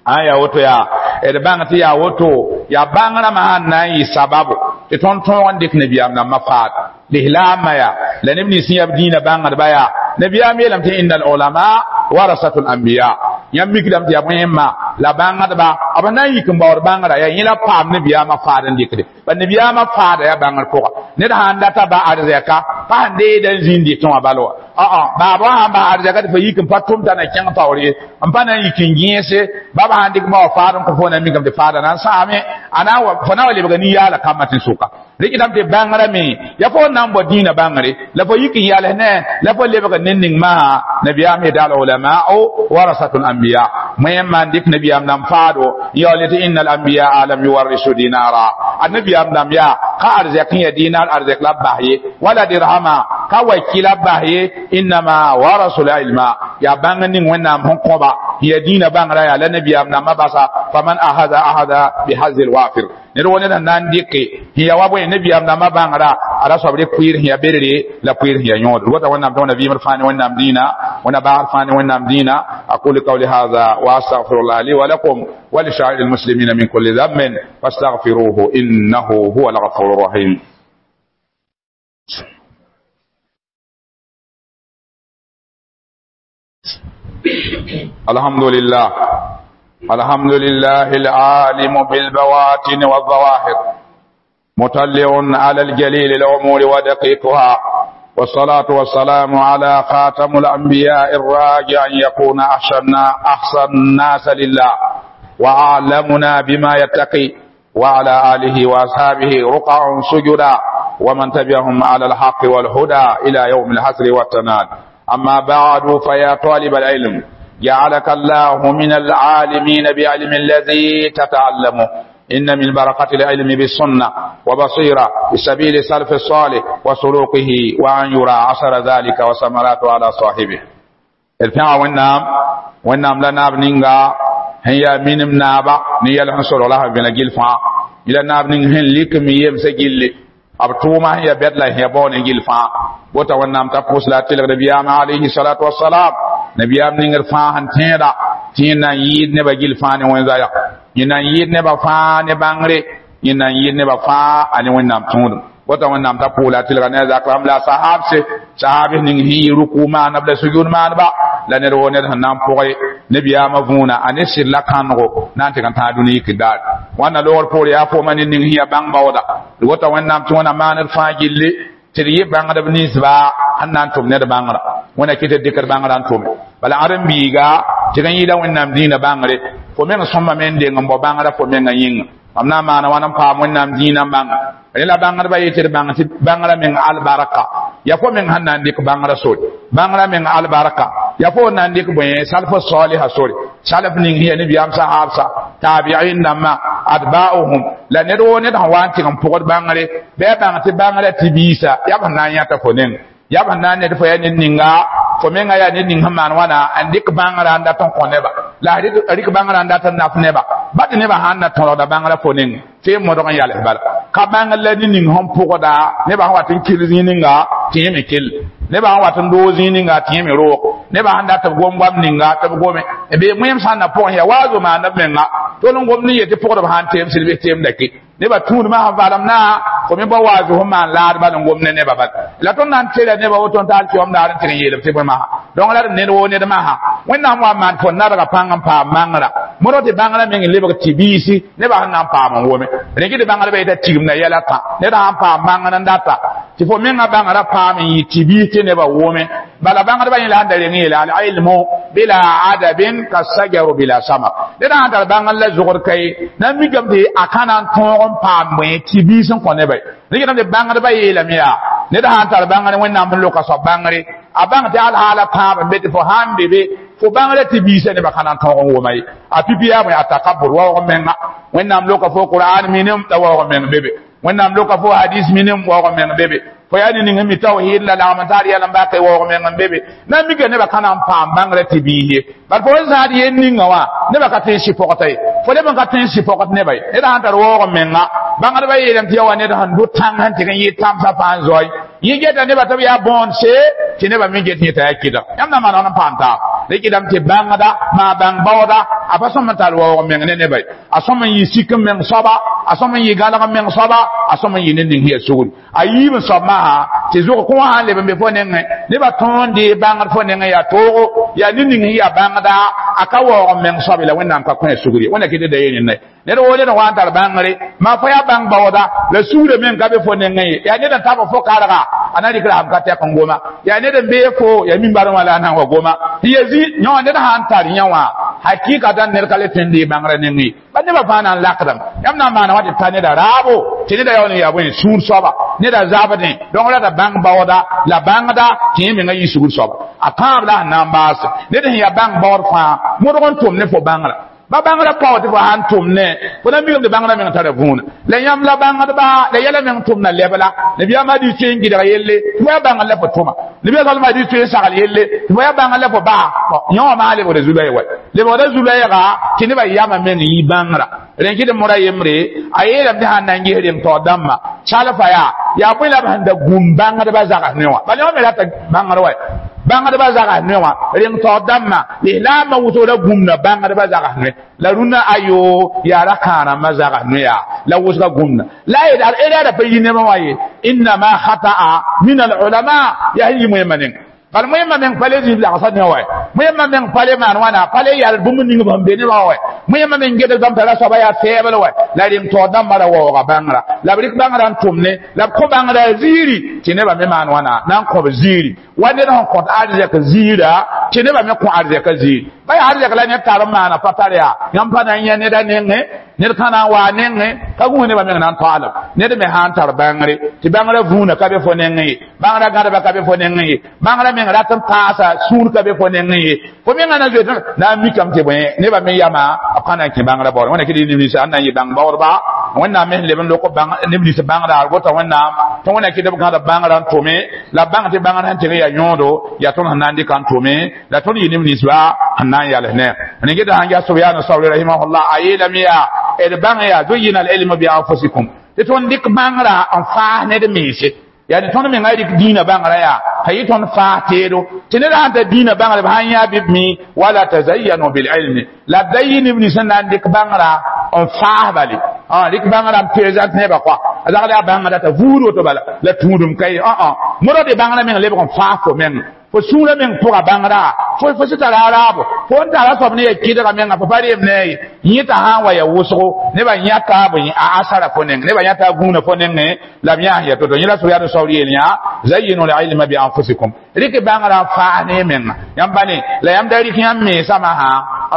an yaa woto yaa d bãng tɩ yaa woto yaa bãngrã masã n na n yɩ sababu tɩ tõnd tõog n dɩk nabiyaam rãmbã faad lislaamã yaa la neb nins sẽn yaa b dĩinã bãngdba yaa nabiyaam yeelame tɩ inna alulama warasatul anbiya yãmb mikdame tɩ yaa bõe la bãngdba b na n yik n baood bãngrã yaa yẽ la paam nabiyaamã faad n dɩkde ba nabiyaamã faada yaa bãngr pʋga ned sãn data ba arzɛka pa sẽn deeda n zĩnd dɩtẽ wã bal wa baaba wã sãn ba arzɛka tɩ fo yik n pa tʋm t'a na kẽng taoor ye n pa na n yik n gẽese baba sãn dɩk ba wa faad n kõ fo na mikame tɩ faada na n sãame a na fo na wa lebga nin-yaala kambã tẽn-sʋka rɩkdame tɩ bãngrã me ya fo na n bao dĩinã bãngre la fo yik n yals ne la fo lebg ne ning maa nabiyaam yeta al ulamau warasatul anbiya wẽn maan dɩk nabiyaam dãmb faado n yaool tɩ inna al anbiyaa lam yuwarrisu dinara a nabiyaam dãmb yaa ka arzɛk n ya dinar arzɛk la b bas ye wala dirhama ka waki la b bas ye innama warasul ilma yaa bãng ning wẽnnaam sẽn kõba n ya dĩinã bãngrã yaa la nabiyaam dãmbã basa faman ahada ahada bihazil wafir ned wo ned sẽn na n dɩke sẽn ya wa bõe nabiyaam dãmbã bãngrã a ra soab rɩk pʋɩɩr sẽn ya berere la pʋɩɩr sẽn ya yõod d wata wẽnnaam tɩ wẽnna vɩɩmd fãa ne wẽnnaam dĩinã wẽnna baagd fãa ne wẽnnaam dĩinã aqulu qawli hadha wa astaghfirullah li wa lakum wa li sa'iri almuslimina min kulli dhanbin fastaghfiruhu innahu huwa alghafuru rahim. الحمد لله الحمد لله العالم بالبواطن والظواهر مطلع على الجليل الأمور ودقيقها والصلاة والسلام على خاتم الأنبياء الراجع أن يكون أحسن أحسن الناس لله وأعلمنا بما يتقي وعلى آله وأصحابه رقع سجدا ومن تبعهم على الحق والهدى إلى يوم الحسر والتناد. أما بعد فيا طالب العلم جعلك الله من العالمين بعلم الذي تتعلمه. إن من بركة العلم بالسنة وبصيرة بسبيل سلف الصالح وسلوكه وأن يرى عشر ذلك وثمراته على صاحبه. الفعل والنام والنام لنا بنينغا هي من نابا نيال حصل الله بن جلفا إلى ناب نين لك ميم سجل أبتوما هي بدلا هي بون جلفا بوتا والنام تقوس لا تلغ نبيام عليه الصلاة والسلام نبيام نين فاهن تيرا تينا يد نبا جلفا وين زايا yẽ na n yɩɩd nebã fãa ne bãngre yẽ na n yɩɩd nebã fãa a ne wẽnnaam tõodem wota wẽnnaam t'a pʋʋla a tɩlga ne a zak rãmb la a sahabse sahabs ning sẽn yɩ ruku maaneb la sujud maaneba la ned woo ned sẽn na n pʋgẽ nebiyaamã võona a ne sɩd la kãnego na n tɩg n tãag dũni yik daar wãnna loogr poor yaa fooma ne ning sẽn yaa bãng baooda d wota wẽnnaam tɩ wẽna maaned fãa gilli tɩ d yɩ bãngdb ninsba sẽn na n tʋm ned bãngrã wẽna kɩ tɩ dɩkd bãngrã n tʋme bala ãdem-biiga tɩg n yɩla wẽnnaam dĩinã bãngre fo meng sõma me n deng n bao bãngrã fo mengã yĩnga mam na n maana wãn n paam wẽnnaam dĩinã n bãnga rẽ la bãngdbã yetɩ d bãng tɩ bãngrã meng albarka ya fo meng sẽn na n dɩk bãngrã sore bãngrã meng albarka ya fo na n dɩk bõe salf saliha sore salf ning sẽn ya nebiyaam sahabsa tabi'in dãmbã atba'uhum la ned woo ned sẽn wa n tɩg n pʋgd bãngre bɩ a bãng tɩ bãngrã tɩ biisa yaa b sẽn na n yãta fo neng yaa b sẽn na n ned fo yaa ned ninga fo menga yaa ned ning sẽn maan wãna n dɩk bãngrã n dat n kõ neba la a rɩk bãngrã n dat n naf neba ba tɩ nebã sãn na tõrgda bãngrã fo neng tɩ y modg n yals bala ka bãngr la ne ning sẽn pʋgda nebã sẽn wat n kell zĩig ninga tɩ yẽ me kell nebã sẽn wat n doog zĩig ninga tɩ yẽ me roog nebã sẽn dat b gom goam ninga tɩ b gome bee wẽem sãn na pʋgẽ yaa waazo maanda b menga tol n gomd n yetɩ pʋgdb sãn teem sɩd bɩ teemda ke nebã tũudmã sẽn valem na fo me bao waazo sẽn maan laadba n gom ne nebã bal la tõnd na n tela nebã woto n taal kiom daar n tɩg n yeelb tɩ bõe masã donc la d ned woo ned masã wẽnnaam wa n maan fo nadga pãng n paam bãngrã modg tɩ bãngrã meng n lebg tɩ biisi nebã sẽn na n paam n wome rẽ tɩ bãngrã yeta tigimda yɛla tã ned sãn paam bãngr n data tɩ fo mengã bãngrã paam n yɩ tɩ biis tɩ nebã wome bala bãngdbã yẽ la sẽn da reng yeela al-ilmu bila adabin ka sajaru bila samar ned sãn tar bãngr la zʋgd ka ye na n mikame tɩ a ka na n tõog n paam bõe tɩ biis n kõ nebã ye rẽ tɩ bãngdbã yeelame yaa ned sãn tar bãngr wẽnnaam sẽn loka soab bãngre a bãng tɩ alhaala tãab n be tɩ fo sãn be be fo bãngrã tɩ biisã nebã ka na n tõog n wʋma ye a pipi yaa bõe a takabur waoog menga wẽnnaam loka fo qur'an minim la waoog meng bebe wẽnnaam loka fo hadis minim waoog meng bebe fo yaa ne ning n mi tawhid la lagm n taar yɛl n baka waoog meng n bebe na n mika nebã ka na n paam bãngrã tɩ biis ye bal fo n zãad yen ninga wã nebã ka tõe n sɩ-pɔgta ye fo leb n ka tõe n sɩ-pɔgd nebã ye ned sãn tar waoog menga bãngdbã yeelame tɩ ya wa ned sẽn dʋ tãng sẽn tɩg n yɩ tãmsã fãa n zoe yẽ geta nebã tɩ b yaa bõond-se tɩ nebã me get yẽ t'a yaa kɩdg yãmb na maan n paam taab rɩkdame tɩ bãngda maa bãng baooda a pa sõm n tar waoog meng ne nebã ye a sõm n yɩ sik n meng soaba a sõm n yɩ gãlg n meng soaba a sõm n yɩ ned ning sẽn yaa sugri a yiib n soab masã tɩ zʋg kõ sãn leb n be fo nengẽ nebã tõog n dee bãngd fo nengẽ yaa toogo yaa ned ning sẽn yaa bãngda a ka waoog n meng soab la wẽnnaam ka kõ a sugri wẽnna kɩ tɩ da yeel ned woo ned wa n tar bãngre maa fo yaa bãng baooda la sugrã meng ka be fo nengẽ ye yaa ned n tab fo karga a na rɩkra sãm ka tɛk n goma yaa ned n bee fo yaa min-barẽ wã la a na n wa goma tɩ ya zĩ yõ ned sãn tar yẽ wã Hakikatan ned ka le tõe n dee bãngrã nengẽ ba nebã fãa na n lakdame yãmb na n maana wa tɩ ta neda raabo tɩ neda yaool n yaa bõe sũur soaba neda zabdẽ donc rata bãng baooda la bãngda tɩ yẽ menga yɩ sugr soaba a tãab la sẽn na n baase ned sẽn yaa bãng baood fãa modg n tʋm ne fo bãngrã ba bãngrã pao tɩ fo sãn tʋm ne fo na mikame tɩ bãngrã meng tara võona la yãmb la bãngdba la yɛla meng tʋmda lɛb la nabiyaamã dɩ tõe n gɩdg yelle tɩ fo yaa bãngr la fo tʋma nabiya salma dɩ tõe n sagl yelle tɩ fo yaa bãngr la fo baa yã wã maa lebgda zu-loɛɛg wa lebgda zu-loɛɛga tɩ nebã yamã meng yɩ bãngrã rẽn kɩ tɩ mora yembre a yeelame tɩ sãn na n ges reng taoor dãmbã salfa yaa yaa bõe la b sẽn da gũm bãngdbã zags ne wã bala yã me rata bãngr wa bãngdbã zags ne wã reng taoor dãmbã lislaambã wʋsg ra gũmda bãngdbã zags ne la rũndã ayo yaa ra kãarãmbã zags ne yaa la wʋsga gũmda la a ra pa yi nebã wã ye innama khata'a min al-ulama yaa sẽn yi moẽmã neng bal moẽmã meng pa le zĩig lagsã ne wa moẽmã meng pa le maan wãna pa le yal bũmb ning b sẽn be nebã wa moẽmã meng gedg bãmb tara soaba yaa fɛɛbl wa la reng taoor dãmbã ra waooga bãngrã la b rɩk bãngrã n tʋm ne la b kõ bãngrã ziiri tɩ nebã me maan wãna na n kõ b ziiri wa ned sẽn kõt arzɛk ziira tɩ nebã me kõ arzɛka ziiri ba yaa arzɛk la ned tar n maana pa tar yaa yãmb pa na n yã neda nengẽ ned ka na n waa nengẽ ka gũus nebã meng na n toaalem ned me sã n tar bãngre tɩ bãngrã vũuna ka be fo nengẽ ye bãngrã gãdba ka be fo nengẽ ye bãngrã meng rat n paasa sũur ka be fo nengẽ ye fo menga na zoet na n mikame tɩ bõe nebã me yama b ka na n kẽ bãngrã baoor wẽnna kɩ neb nins n na n yɩ bãng baoodba wẽnnaam me sẽn leb n lok neb nins bãngrã gota wẽnnaam tɩ wẽnna kɩ b gãd bãngrã n tʋme la b bãng tɩ bãngrã sẽn tɩg yaa yõodo yaa tõnd sẽn na n dɩka n tʋme la tõnd yɩ neb ninsba sẽn na n yals ne n geta sãn yaa sobyaan sabri rahimahullah a yeelame yaa d bãng yaa zuyina al-ilmu bi anfusikum tɩ tõnd dɩk bãngrã n faas ned mense yani tõnd menga rɩk dĩinã bãngrã yaa t'a yɩ tõnd faas teedo tɩ ned sãn ta dĩinã bãngrã b sãn yã bɩ b mi wala tazayyanu bililmi la b da yɩ neb nins sẽn na n dɩk bãngrã n faas bale rɩk bãngrã n présente nebã kɔa a zagd yaa bãngrã t'a vuud woto bala la tũudum ka ye modg tɩ bãngrã meng lebg n faas fo meng fo sũurã meng pʋga bãngrã fo fo sẽn tara araabo fo n tara soab ne ya kɩdga menga fo pa reem ne ye yẽta sã n wa ya wʋsgo nebã yãta bõe a asara fo neng nebã yãta a gũuna fo nengẽ la b yãas ya to-to yẽ la soyaad saoor yeel yã zayyinu lilma bi anfusikum rɩk bãngrã n faas ne menga yãmb ba ne la yãmb da rɩk yãmb mensãmã sã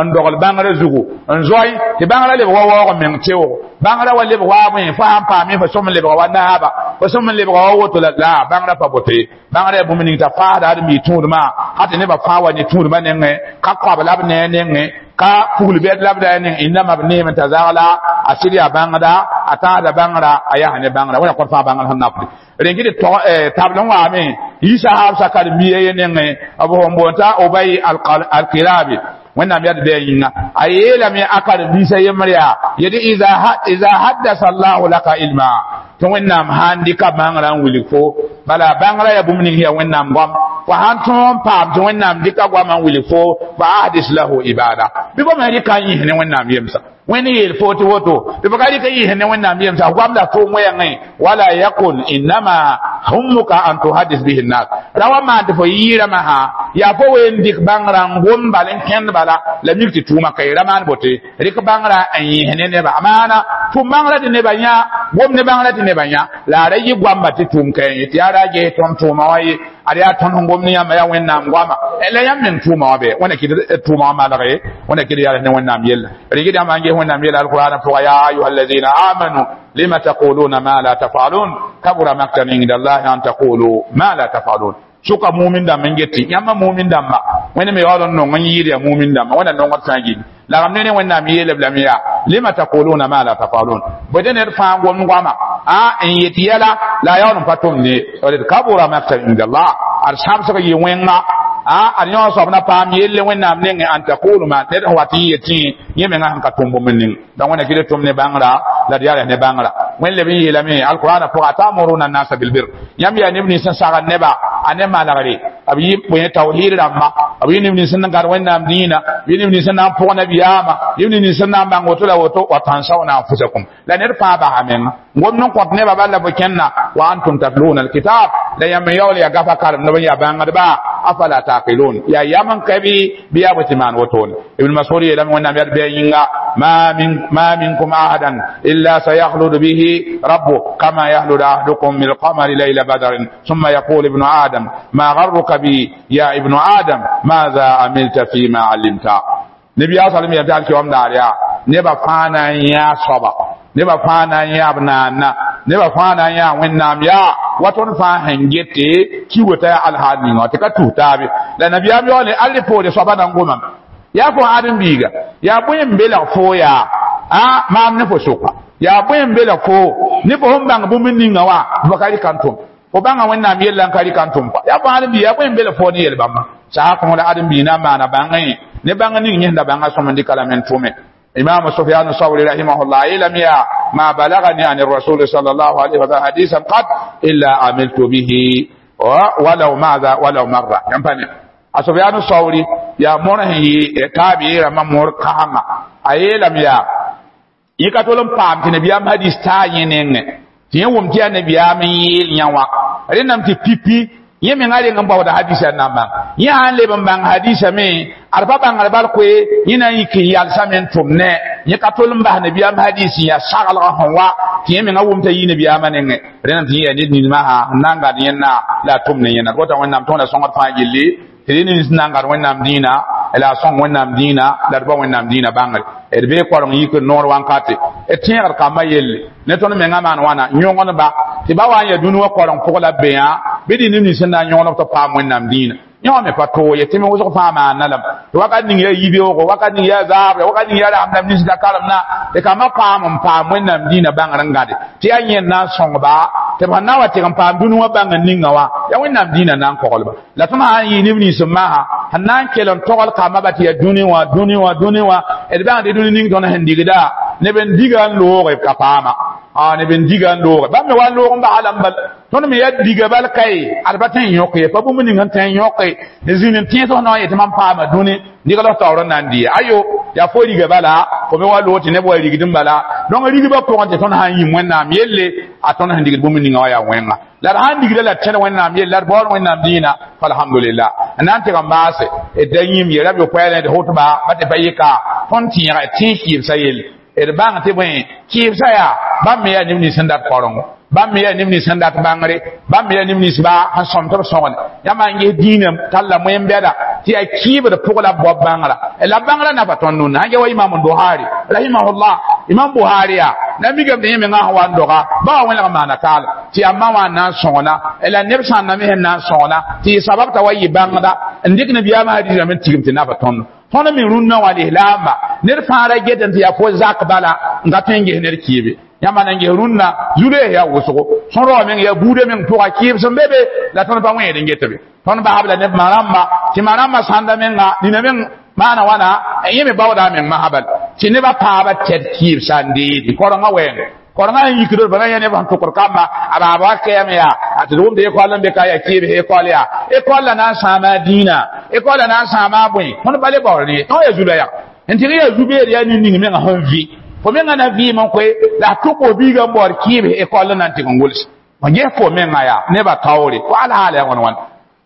n dogl bãngrã zugu n zoe tɩ bãngrã lebg wa waoog meng teoog bãngrã wa lebg wa bõe fo sãn paame fo sõm n lebga wa naaba fo sõm n lebga wa woto la la bãngrã pa bote bãngrã yaa bũmb ning t'a faasda d mi tũudmã ha tɩ nebã fãa wa ne tũudmã nengẽ ka koab la b ne nengẽ ka pugl bɛd la b da neng innama b neem t'a zagla a sɩd yaa bãngda a tãasda bãngrã a yaa ne bãngrã wẽna kõt fãa bãngrã sẽn nafde rẽn kɩ tɩ tabl n waame yisa haab sa karen-biiga ye nengẽ b sẽn boond t'a obay alkirabi wẽnnaam yaa d bɩ a yĩnga a yeelame a karen-biisã yembr yaa yetɩ iza haddasa allahu laka ilma tɩ wẽnnaam sãn dɩka bãngrã n wilg fo bala bãngrã yaa bũmb ning yaa wẽnnaam goam fo sãn tõog n paam tɩ wẽnnaam dɩka goamã n wilg fo fa ahdis lahu ibada bɩ bõmb sẽn rɩka n yĩs ne wẽnnaam yemsa wẽnd yeel fo tɩ woto tɩ fo ka rɩka yĩs ne wẽnnaam yemsa goam la tʋʋm wɛɛngẽ wala yakun innama hummuka an tuhaddis bihi nnas ra wa maan tɩ fo yɩɩrãmã sã yaa fo ween dɩk bãngrã n gom bal n kẽnd bala la mik tɩ tʋʋma ka ra maan bote rɩk bãngrã n yĩs ne neba maana tʋm bãngrã tɩ nebã yã gom ne bãngrã tɩ nebã yã la a ra yɩ goamba tɩ tʋʋm ka yẽ tɩ yaa ra ges tõnd tʋʋma wã ye ad yaa tõnd sẽn gom ne yãmba yaa wẽnnaam goama la yãmb meng tʋʋma wã bɛ wẽnna kɩd tʋʋma wã malge wẽnna kɩd yaa ne wẽnnaam yella rɩk yãmb n ges wẽnnaam yella alqur'ana pʋga ya ayuha alladina amanu lima taquluna ma la tafalun kabura maktan inda allahi an taqulu ma la tafalun sʋka mumin dãmb n get yãmba mumin dãmba wẽnd me yaool n nong n yɩɩd yaa mumin dãmba wẽnna nongd sã n gilli la b ne ne wẽnnaam yeelb lame yaa lima taquluna ma la tafalun bõe ned fãa gomd goama a n yet yɛla la a yaool n pa tʋmd ne d kabura maktan inda allah ad sãbsg yɩ wẽnga a ad yõ soab na paam yelle wẽnnaam nengẽ an taqulu ma ned sẽn wat n yetẽ yẽ menga sẽn ka tʋm bũmb ning donc wẽnna kɩ d tʋm ne bãngrã la d yaa ne bãngrã wẽnd leb n yeelame alqur'ana pʋga atamuruna annasa bilbir yãmb yaa neb nins n sagd neba a ne malgre b yɩ bõe tawhid rãmba b yɩ neb nins n gãd wẽnnaam dĩinã b yɩ neb nins n na n pʋg nabiyaamã yɩ neb nins n na n bãng woto la woto wa tansawna anfusakum la ned fãa basa menga gomd n kõt nebã bal la fo kẽnna wa antum tatluna alkitab la yãmb n yaool yaa gafa karemdb n yaa bãngdba afala taqilun yaa yam n ka bɩ bɩ yaa bõe tɩ maan wotone ibn masud yeelame wẽnnaam yaa d bɩ a yĩnga ما من ما منكم أحدا إلا سيخلد به ربه كما يخلد أحدكم من القمر ليلة بدر ثم يقول ابن آدم ما غرك بي يا ابن آدم ماذا عملت فيما علمت. Nabi sallam ya dal ki om dar ya neba fãa na n yã soaba neba fãa na n yã b naana neba fãa na n yã wẽnnaam yaa wa tõnd fãa sẽn gete ki wota yaa alhaal ninga tɩ ka tus taabe la nabiyaam yaoole all poore soaba na n gomame yaa fo ãdem-biiga yaa bõe n belg foo yaa a maam ne fo sʋka yaa bõe n belg foo ne fo sẽn bãng bũmb ninga wã fo ka rɩk n tʋm fo bãnga wẽnnaam yella n ka rɩk n tʋm pa yaa fo ãdem-biiga yaa bõe n belg foo ne yel-bãmba saa kõg la ãdem-biig na n maana bãngẽ ne bãng ning yẽsda bãnga sõm n dɩka lame n tʋme إمام سفيان الثوري رحمه الله لم يا ما بلغني عن الرسول صلى الله عليه وسلم حديثا قد إلا عملت به ولو ماذا ولو مرة ينفعني سفيان الثوري يا مره تابعي ما مر كاما أي لم يا يكتولم بام تنبيا حديث تاينين تين وم تي نبيا من يل رنم تي بيبي yẽ menga reng n baooda hadisa n na n bãng yẽ sã n leb n bãng hadisa me ad pa bãngr bal koe yẽ na n yik n yalsame n tʋm ne yẽ ka tol n bas nabiyaam hadis n yaa saglgã sẽn wa tɩ yẽ menga wʋm t'a yi nabiyaamã nengẽ rẽndame tɩ yẽ yaa ned ninmã sã n na n gad yẽnna la a tʋm ne yẽnna d bota wẽnnaam tõoda sõngd fãa gilli tɩ rẽ nins n na n gad wẽnnaam dĩinã la a sõng wẽnnaam dĩinã la d ba wẽnnaam dĩinã bãngre d bee koreng yik n noor wankate d tẽegd kambã yelle ne tõnd menga maan wãna yõgendba tɩ ba wa n yaa dũni wã koreng pʋg la b be yã bɩ dĩ neb nins sẽn na n yõgd b tɩ paam wẽnnaam dĩinã yẽ wã me pa toog ye tɩ me wʋsg fãa maana lame tɩ wakat ning yaa yibeoogo wakat ning yaa zaabre wakat ning yaa rasem nins da karemna tɩ kambã paam n paam wẽnnaam dĩinã bãngr n gãde tɩ yaa yẽnd na n sõngba tɩ b sẽn na n wa tɩg n paam dũni wã bãng n ninga wã yaa wẽnnaam dĩinã na n koglba la tõnd sã n yɩ neb nins n maasa sẽn na n kell n togl kambã ba tɩ yaa dũni wã dũni wã dũni wã d bãng tɩ dũni ning tõnd sẽn digda neb n diga n looge b ka paama a neb n diga n looge bãmb me wa n loog n basa lame bal tõnd me yaa diga bal kae ad pa tõe n yõk ye pa bũmb ning n tõe n yõke n zĩnd n tẽes f na n yetɩ mam paama dũni nigl f taoor n na n dɩ ayo yaa fo riga bala fo me wa loog tɩ neb wa rigd n bala donc rigba pʋgẽ tɩ tõnd sã n yĩm wẽnnaam yelle a tõnd sẽn digd bũmb ninga wã yaa wẽnga la d sã n digda la d tẽd wẽnnaam yelle la d baood wẽnnaam dĩinã falhamdulillah n na n tɩg n baase d da yĩm ye rab yopoɛɛlẽ d hotba ba tɩ pa yɩka tõnd tẽega d tẽes kɩɩbsã yelle d bãng tɩ bõe kɩɩbsã yaa bãmb me yaa neb nins sẽn dat korengo bãmb me yaa neb nins sẽn dat bãngre bãmb me yaa neb nins baa sẽn sõm tɩ b sõgene yãmb n ges dĩinã talla moen-bɛda tɩ yaa kɩɩbd pʋg la b bao bãngrã la bãngrã nafa tõnd nunda sãn ge wa imam buhari rahimahullah imam buhari yaa na mikame tɩ yẽ mengã sẽn wa n doga ba wa wẽneg n maana kaal tɩ yaa ma wã n na n sõgna la neb sãnda me sẽn na n sõgna tɩ yɩ sabab t'a wa yɩ bãngda n dɩk nabiyaamã hadiisã me n tigim tɩ nafa tõndo tõnd me rũnnã wã lislaamba ned fãa ra get n tɩ yaa fo zak bala n ka tõe n ges ned kɩɩbe yãmba na n ges rũnnã zu-loees yaa wʋsgo sõn raoã meng yaa buudã meng pʋga kɩɩb sẽn be be la tõnd pa wẽed n get be tõnd basb la neb ma-rãmba tɩ ma-rãmbã sãnda menga nina meng maana wãna yẽ me baooda a meng masã bal tɩ nebã paaba tɛd kɩɩbsã n deedi korengã wɛɛng korengã sẽn yikd b na yã neb sẽn tʋkd kamba a baaba wa kɛɛme yaa a tɩ d wʋmd ekɔl n be ka yaa kɩɩbs ekɔl yaa ekɔl la na n sãama a dĩinã ekɔl la na n sãama a bõe tõnd pa le baood ne tõnd yaa zu-la yaa n tɩg yaa zu-beed yaa nin-ning menga sẽn vɩ fo menga na vɩɩm n koe la a tʋk fo biigã n baood kɩɩbs ekɔl n na n tɩg n gʋls fo ges fo menga yaa nebã taoore fo alhaala yaa wãn wãn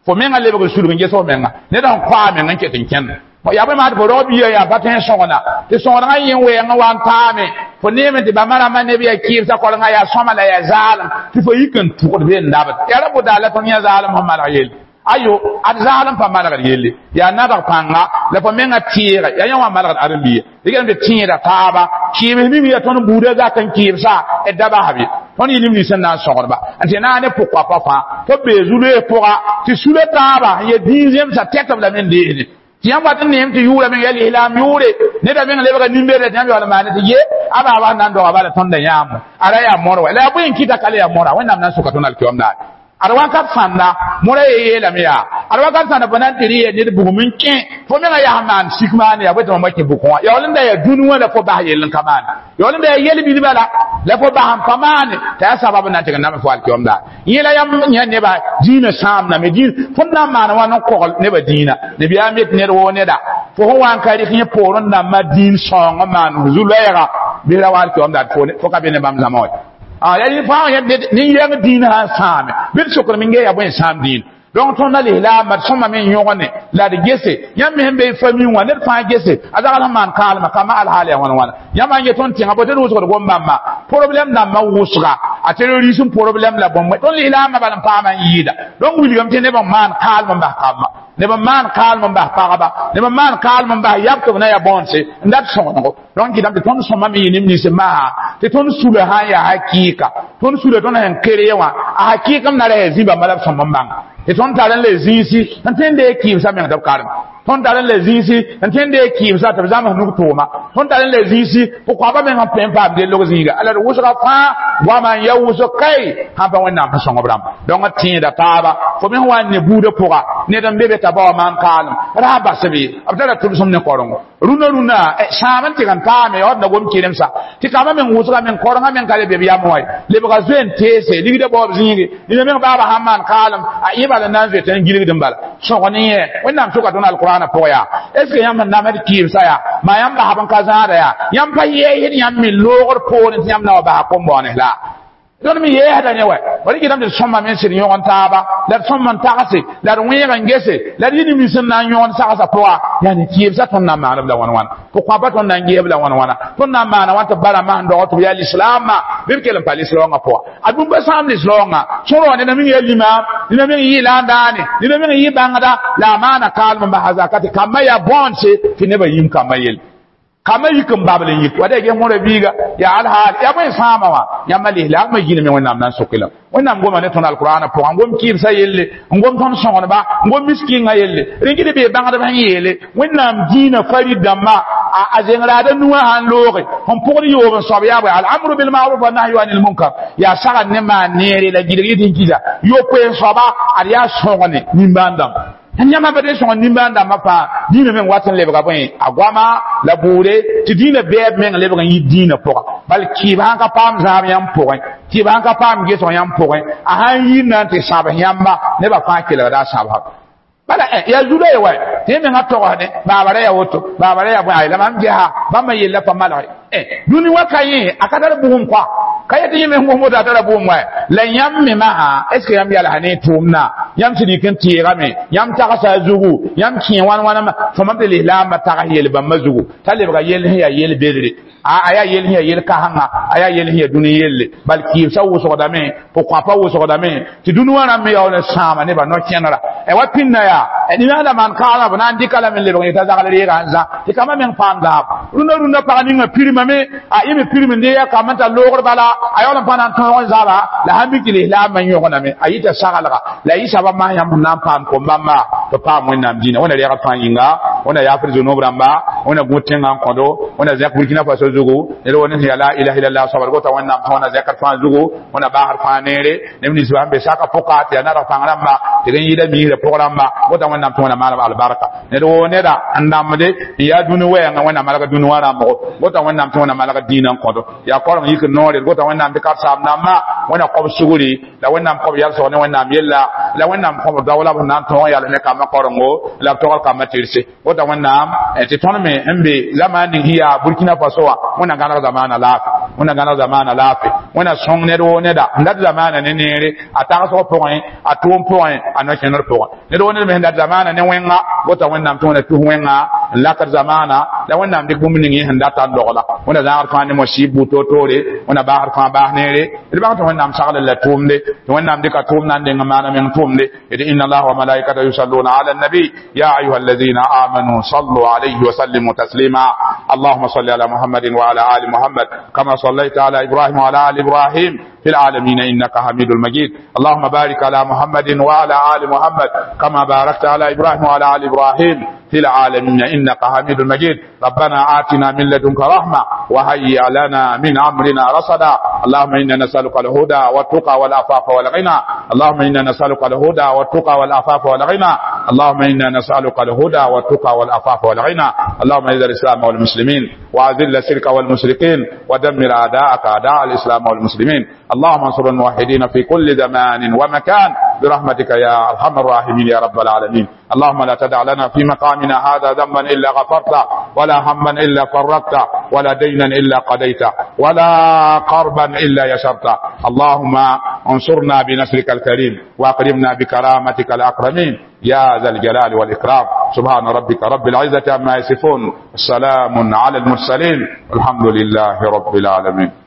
fo menga lebg n sulg n ges fo menga ned sẽn koa a meng n ket n kẽnd yaa bõe maa tɩ fo rao biigã yaa pa tõe n sõgna tɩ sõgdgã yẽ wɛɛngã wa n taame fo neeme tɩ bãmba rãmbã neb yaa kɩɩbsã korengã yaa sõma la yaa zaalem tɩ fo yik n tʋgd be n dabd yaa ra bʋ la tõnd yã zaalem sẽn maneg yelle ayo ad zaalem pa manegd yelle yaa nadg pãnga la fo menga tẽega yaa yã wã manegd ãdem-biiga dɩkame tɩ tẽeda taaba kɩɩbs mim yaa tõnd buudã zak n kɩɩbsã d da basb ye tõnd yɩ neb nins sẽn na n sõgdba n tɩ naane pʋg-koapã fãa tɩ b bee zu-loees pʋga tɩ sula taaba n yaa dĩin zemsã tɛtb lame n deesde tɩ yãmb wat n neem tɩ yʋʋra meng yaa lislaam yʋʋre neda meng lebga nin-beedã tɩ yãmb yaool n maane tɩ ye a baaba sẽn na n doga bala tõnda yãamo a ra yaa mõr wa la yaa bõe n kɩta ka le yaa mõra wẽnnaam na n soka tõnd alkiyoom daare ad wakat sãnda mõra ye yeelame yaa ad wakat sãnda fo na n tɩ rɩ yaa ned bugum n kẽ fo menga yaa maan sik maane yaa bõe tɩ mam wa kẽ bʋkẽ wã yaool n da yaa dũni wã la fo bas yell n ka maane yaool n da yaa yel-bilbã la la fo bas n pa maane t'a yaa sabab n na n tɩg n name fo alkiyoom daare yẽ la yãmb yã nebã dĩinã sãamdame dĩin fõnd na n maan wã n kogl nebã dĩinã nabiyaam yet ned woo neda fo sẽn wa n ka rɩk yẽ poor n dãmbã dĩin sõong n maan zu-loɛɛga bɩ ra wa alkiyoom daare fo ka be ne bãmb zãma wa ah ya fãa ya nin-yɛng dĩinã sã n sãame bɩ d sokd me yaa bõe n sãam dĩin donc tõnd na lislaamba d sõma me n yõgene la d gese yãmb me sẽn be famille wã ned fãa gese a zagl sẽn maan kaalmã kambã alhaal yaa wãn wãna yãmb n get tõnd tẽngã bo tɩ d wʋsgd gom-bãmba problème dãmbã wʋsga a terrorisme problème la bõmb tõnd lislaambã bal n paama n yɩɩda donc wilgame tɩ neb n maan kaalm n bas kambã neb n maan kaalem n bas pagba neb n maan kaalem n bas yab tɩ b na yaa bõonse n dat sõgenego donc kɩtame tɩ tõnd sõma me yɩ neb nins maa tɩ tõnd sula sã n yaa hakɩɩka tõnd sula tõnd sẽn kere wã a hakɩɩk m na ra yaa zĩ-bãmba la b sõm n bãnga tɩ tõnd tar n le zĩisi n tõe n deeg kɩɩmsã meng tɩ b karem tõnd tar n le zĩisi n tõe n deeg kɩɩmsã tɩ b zãms nug tʋʋma tõnd tar n le zĩisi pʋ-koaba meng n pẽ n paam dellg zĩiga ala d wʋsga fãa goama n ya wʋsg kai sãn pa wẽnnaam sẽn sõng b rãmba donc tẽeda taaba fo me sẽn wa n ne buudã pʋga ned n be be t'a bao maan kaalem ra bas b ye b tara tʋlsem ne korengo rũnã rũnã sãam n tɩg n taame ya d na gom kɩremsa tɩ kambã meng wʋsga meng korengã meng ka le be b yam wã lebga zoe n teese ligdã baoob zĩige nina meng baaba sãn maan kaalem a yɩ bala n na n zoe tɩ n gilgd n bala sõg ne yẽ wẽnnaam sʋka tõnd alqurana pʋgã yaa est ce que yãmb sẽn namd kɩɩmsã yaa maa yãmb basb n ka zãada yaa yãmb pa yɛɛsd yãmb me loogr poorẽ tɩ yãmb na wa basa kom-bõones la tõnd me yɛɛsda ne wɛ wa rɩkɩdame tɩ d sõma me n sɩd yõgen taaba la d sõm n tagse la d wẽeg n gese la d yɩ neb nins n na n yõgen sagsã pʋga yaa ne kɩɩmsã tõnd na n maaneb la wãn wãna pʋ-kõapa tõnd na n geeb la wãn wãna tõnd na n maana wãn tɩ b bara masn dog tɩ b yaa lislaamã bɩ b kell n pa lislaoongã pʋga a bũmb sãam lislaoongã sõrgã neda ming yaa limaam neda ming yɩ la n daane neda ming yɩ bãngda la a maana kaalem n basa zaka tɩ kambã yaa bõonse tɩ nebã yĩm kambã yelle kambã yik n babl n yik wa da ges mõra biiga yaa alhaal yaa bõe sãama wã yãmba lislaamã yĩlme wẽnnaam na n soke la wẽnnaam goma ne tõnd alqurana pʋgã n gom kɩɩmsã yelle n gom tõnd sõgenba n gom miskĩngã yelle rẽn bee bãngdb sẽn yeele wẽnnaam dĩinã farid dãmba a zengraada nuwã sãn looge sẽn pʋgd yoob n soab yaa bõe al-amru bilmaruf wa nahyu anil munkar yaa sagd ne maan neere la gilg yɩ tɩ n kɩsa yopoe n soaba ad yaa sõgne nimbãan dãmb yãmba pa sõng nimbãan dãmbã fãa dĩinã meng wat n lebga bõe a goama la bʋʋre tɩ dĩinã bɛɛb meng lebg n yɩ dĩinã pʋga bal kɩɩb sãn ka paam zãab yãmb pʋgẽ kɩɩb sãn ka paam gesg yãmb pʋgẽ a sãn yir na n tɩ sãbs yãmba nebã fãa kelgda a sãbsã bala yaa zuda ye wa tɩ yẽ mengã togsdẽ baaba ra yaa woto baaba ra yaa bõe ay la mam gesa bãmba yella pa malge dũni wa ka yẽ a ka tar bugum kɔa ka yetɩ yẽ me sẽn gosd a tara bugum wa la yãmb me masã est ce que yãmb yalsa ne tʋʋmdã yãmb sẽd yik n teegame yãmb tagsa a zugu yãmb kẽ wãn wãna fõma tɩ lislaambã tags yel bãmba zugu t'a lebga yell sẽn yaa yel bedre a yaa yell sẽn yaa yel kãsengã a yaa yell sẽn yaa dũni yelle bal kɩɩmsã wʋsgdame pʋ-kõapa wʋsgdame tɩ dũni wã rãmb me yaool n sãama nebã no-kẽnera wa pĩnda yaa nina maan kaalmã b na n dɩka lame n lebg yetã zagl reegã n zã tɩ kambã meng paam zaab rũndã rũndã pag ninga pirmame a yẽ me pirm n dee ya kambã n tar loogr bala a yaool n pa na n tõog n zaba la sãn mik tɩ lislaambã n yõgename a yɩta saglga la yɩ sabab masã yãmb sẽn na n paam kom-bãmba tɩ paam wẽnnaam dĩinã wẽnna reegd fãa yĩnga wẽnna yaafd zũnub rãmba wẽnna gũ tẽngã n kõdo wẽnna zẽk burkina faso zugu ned wo ne sẽn yaa la ilaha illallah soabd gota wẽnnaam tã wẽnna zẽkd fãa zugu wẽnna baasd fãa neere neb nins sẽn be saka pʋka tɩ yaa nadg pãng rãmba tɩ rẽ yɩɩda miisrã pʋg rãmba gota wẽnnaam tɩ wẽnna maaneb albarka ned woo neda n dãmbde n yaa dũni wɛɛngã wẽnna malg dũni wã rãmbgo gota wẽnnaam tɩ wẽnna malg dĩinã n kõdo yaa koreng yik n noore gota wẽnnaam tɩ karsaam dãmbã wẽnna kõb sugri la wẽnnaam kõb yalsg ne wẽnnaam yella la wẽnnaam kõb daoola b sẽn na n tõog yals ne kambã korengo la b togl kambã tɩrse gota wẽnnaam tɩ tõnd me n be zamaan ning sẽn yaa burkina faso wã wẽnna gãneg zamaana laafɩ wẽnna gãneg zamaana laafɩ wẽnna sõng ned woo neda n dat zamaana ne neere a tagsg pʋgẽ a tʋʋm pʋgẽ a no-kẽner pʋgẽ ned woo ned me sẽn dat zamaana ne wẽnga gota wẽnnaam tɩ wẽnna tus wẽnga n lakd zamaana la wẽnnaam dɩk bũmb ning yẽ sẽn data n dogla wẽnna zãagd fãa ne mosib bu toor-toore wẽnna baasd fãa baas neere d bãng tɩ wẽnnaam sagl la tʋʋmde tɩ wẽnnaam dɩka tʋʋm na n deng n maana meng tʋʋmde d inna allaha wa malaikatahu yusalluna ala النبي يا أيها الذين آمنوا صلوا عليه وسلموا تسليما اللهم صل على محمد وعلى آل محمد كما صليت على إبراهيم وعلى آل إبراهيم في العالمين إنك حميد المجيد اللهم بارك على محمد وعلى آل محمد كما باركت على إبراهيم وعلى آل إبراهيم في العالمين إنك حميد المجيد ربنا آتنا من لدنك رحمة وهيئ لنا من أمرنا رشدا اللهم إنا نسألك الهدى والتقى والعفاف والغنى اللهم إنا نسألك الهدى والتقى والعفاف والغنى اللهم إنا نسألك الهدى والتقى والعفاف والغنى اللهم اعز الإسلام والمسلمين وأذل الشرك والمشركين ودمر أعداءك أعداء الإسلام والمسلمين اللهم انصر الموحدين في كل زمان ومكان برحمتك يا أرحم الراحمين يا رب العالمين اللهم لا تدع لنا في مقامنا هذا ذنبا إلا غفرته ولا هما إلا فرجته ولا دينا إلا قضيته ولا قربا إلا يسرته اللهم انصرنا بنصرك الكريم واكرمنا بكرامتك الأكرمين يا ذا الجلال والإكرام سبحان ربك رب العزة عما يصفون السلام على المرسلين الحمد لله رب العالمين.